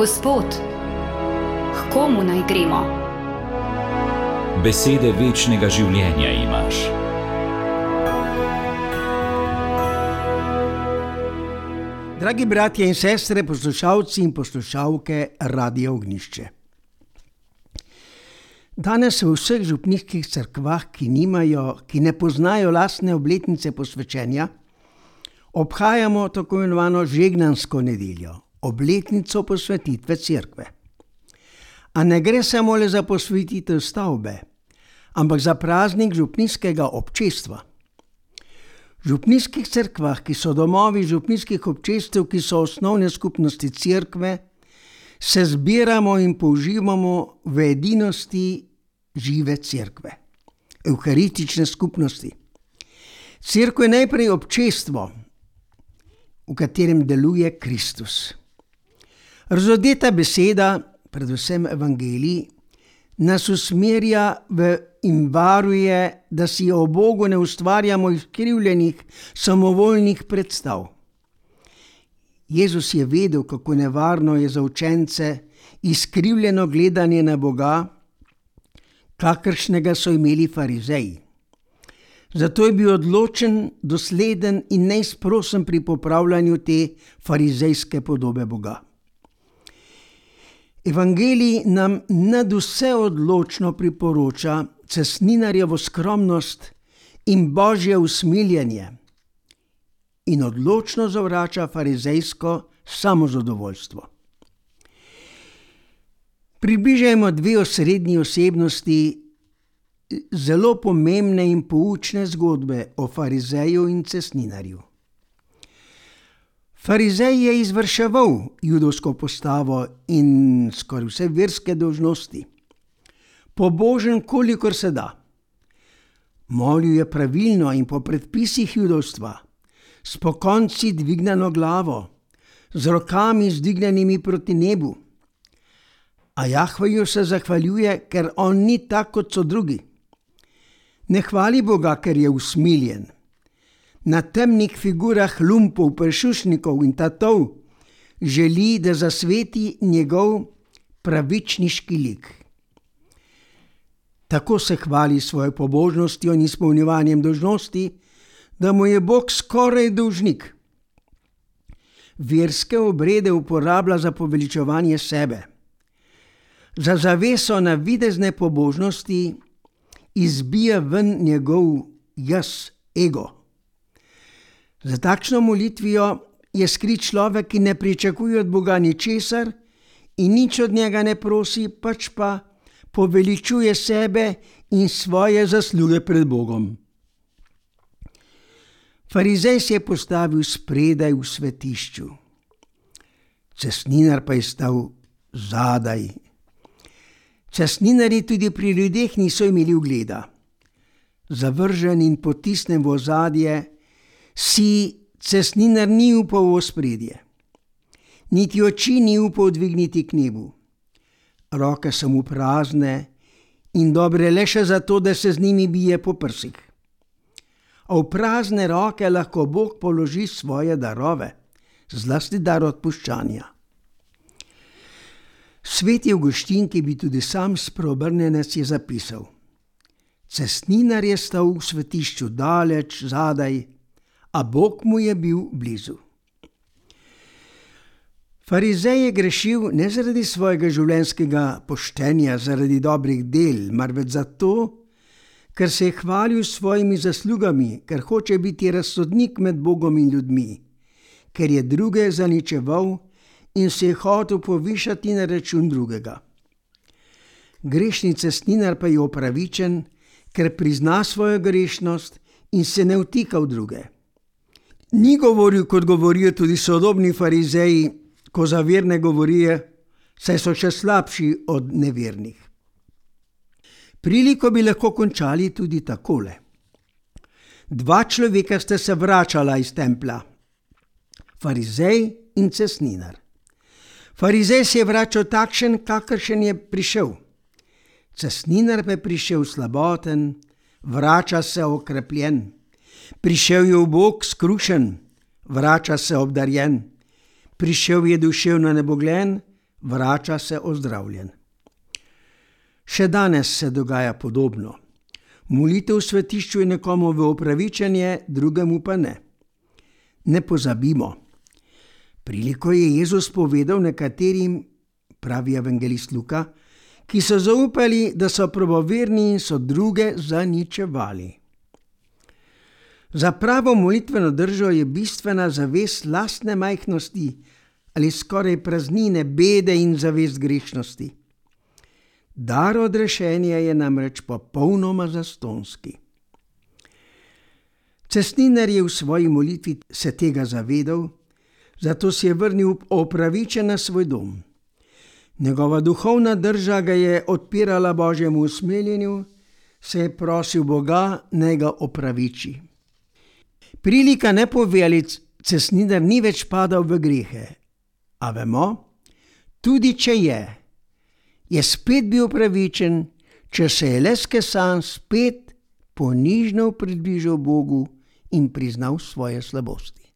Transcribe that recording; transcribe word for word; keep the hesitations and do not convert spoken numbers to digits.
Gospod, k komu naj gremo? Besede večnega življenja imaš. Dragi bratje in sestre, poslušalci in poslušalke Radia Ognjišče. Danes v vseh župnijskih cerkvah, ki nimajo, ki ne poznajo lastne obletnice posvečenja, obhajamo tako imenovano žegnansko nedeljo, obletnico posvetitve cerkve. A ne gre samo le za posvetitev stavbe, ampak za praznik župnijskega občestva. V župnijskih cerkvah, ki so domovi župnijskih občestev, ki so osnovne skupnosti cerkve, se zbiramo in použivamo v edinosti žive cerkve, evharistične skupnosti. Cerkev je najprej občestvo, v katerem deluje Kristus. Razodeta beseda, predvsem evangelij, nas usmerja v in varuje, da si o Bogu ne ustvarjamo izkrivljenih, samovoljnih predstav. Jezus je vedel, kako nevarno je za učence izkrivljeno gledanje na Boga, kakršnega so imeli farizeji. Zato je bil odločen, dosleden in neizprosen pri popravljanju te farizejske podobe Boga. Evangelij nam nadvse odločno priporoča cestninarjevo skromnost in božje usmiljenje in odločno zavrača farizejsko samozadovoljstvo. Približajmo dve osrednji osebnosti zelo pomembne in poučne zgodbe o farizeju in cestninarju. Farizej je izvrševal judovsko postavo in skoraj vse verske dolžnosti. Pobožen, kolikor se da. Molil je pravilno in po predpisih judovstva, s pokonci dvignjeno glavo, z rokami zdvignjenimi proti nebu. A Jahveju se zahvaljuje, ker on ni tak, kot so drugi. Ne hvali Boga, ker je usmiljen. Na temnih figurah lumpov, prešušnikov in tatov želi, da zasveti njegov pravičniški lik. Tako se hvali svojo pobožnostjo in izpolnjevanjem dolžnosti, da mu je Bog skoraj dolžnik. Verske obrede uporablja za poveličevanje sebe. Za zaveso navidezne pobožnosti izbija ven njegov jaz, ego. Za takšno molitvijo je skrit človek, ki ne pričakuje od Boga ničesar in nič od njega ne prosi, pač pa poveličuje sebe in svoje zasluge pred Bogom. Farizej se je postavil spredaj v svetišču. Cestninar pa je stal zadaj. Cestninarji tudi pri ljudeh niso imeli ugleda. Zavržen in potisnen v ozadje, si cestninar ni upal v ospredje. Niti oči ni upal dvigniti k nebu. Roke so mu prazne in dobre le še zato, da se z njimi bije po prsih. A v prazne roke lahko Bog položi svoje darove, zlasti dar odpuščanja. Sveti Avguštin, ki bi tudi sam spreobrnjenec, je zapisal: cestninar je stal v svetišču daleč, zadaj, a Bog mu je bil blizu. Farizej je grešil ne zaradi svojega življenjskega poštenja, zaradi dobrih del, marveč zato, ker se je hvalil s svojimi zaslugami, ker hoče biti razsodnik med Bogom in ljudmi, ker je druge zaničeval in se je hotel povišati na račun drugega. Grešni cestninar pa je opravičen, ker prizna svojo grešnost in se ne vtika v druge. Ni govoril, kot govorijo tudi sodobni farizeji, ko za verne govorijo, saj so še slabši od nevernih. Priliko bi lahko končali tudi takole. Dva človeka sta se vračala iz templja. Farizej in cestninar. Farizej se je vračal takšen, kakršen je prišel. Cestninar pa je prišel slaboten, vrača se okrepljen. Prišel je v Bog skrušen, vrača se obdarjen. Prišel je duševno nebogljen, vrača se ozdravljen. Še danes se dogaja podobno. Molitev v svetišču je nekomu v opravičenje, drugemu pa ne. Ne pozabimo. Priliko je Jezus povedal nekaterim, pravi evangelist Luka, ki so zaupali, da so pravoverni in so druge zaničevali. Za pravo molitveno držo je bistvena zavest lastne majhnosti ali skoraj praznine, bede in zavest grešnosti. Dar odrešenja je namreč popolnoma zastonski. Cestninar je v svoji molitvi se tega zavedal, zato si je vrnil opravičen na svoj dom. Njegova duhovna drža ga je odpirala Božjemu usmiljenju, se je prosil Boga, naj ga opraviči. Prilika ne pove, ali cestninar ni več padal v grehe, a vemo, tudi če je, je spet bil pravičen, če se je le skesan spet ponižno približal Bogu in priznal svoje slabosti.